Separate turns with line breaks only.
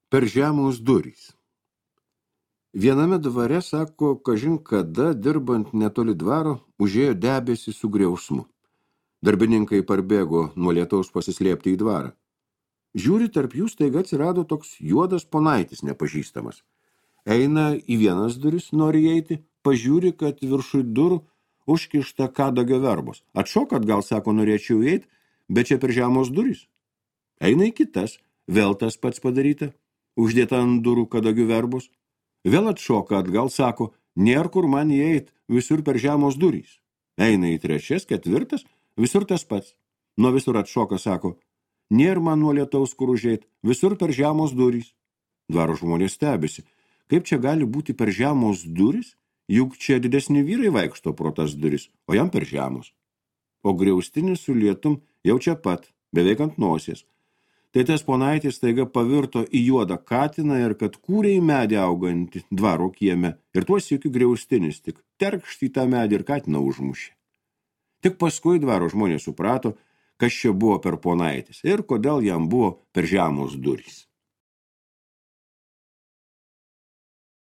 Per žemos durys. Viename dvare, sako, kažin kada, dirbant netoli dvaro, užėjo debesį su griausmu. Darbininkai parbėgo nuo lietaus pasislėpti į dvarą. Žiūri, tarp jų staiga atsirado toks juodas ponaitis nepažįstamas. Eina į vienas duris, nori eiti, pažiūri, kad viršui durų užkišta kadagio verbos. Atšok atgal, sako, norėčiau eiti, bet čia per žemos durys. Eina į kitas, vėl tas pats padaryta, uždėta ant durų kadagių verbos. Vėl atšoka atgal, sako, nėr kur man įeit, visur per žemos durys. Eina į trečias, ketvirtas, visur tas pats. Nuo visur atšoka, sako, nėr man nuo lietaus kur užeit, visur per žemos durys. Dvaro žmonės stebisi, kaip čia gali būti per žemos durys, juk čia didesni vyrai vaikšto pro tas duris, o jam per žemos. O griaustinis su lietum jau čia pat, beveik ant nosies. Tai tas ponaitis staiga pavirto į juodą katiną ir kad kūrė į medį augantį dvaro kieme ir tuos sykiu griaustinis tik terkšt į tą medį ir katiną užmušė. Tik paskui dvaro žmonės suprato, kas čia buvo per ponaitis ir kodėl jam buvo per žemos durys.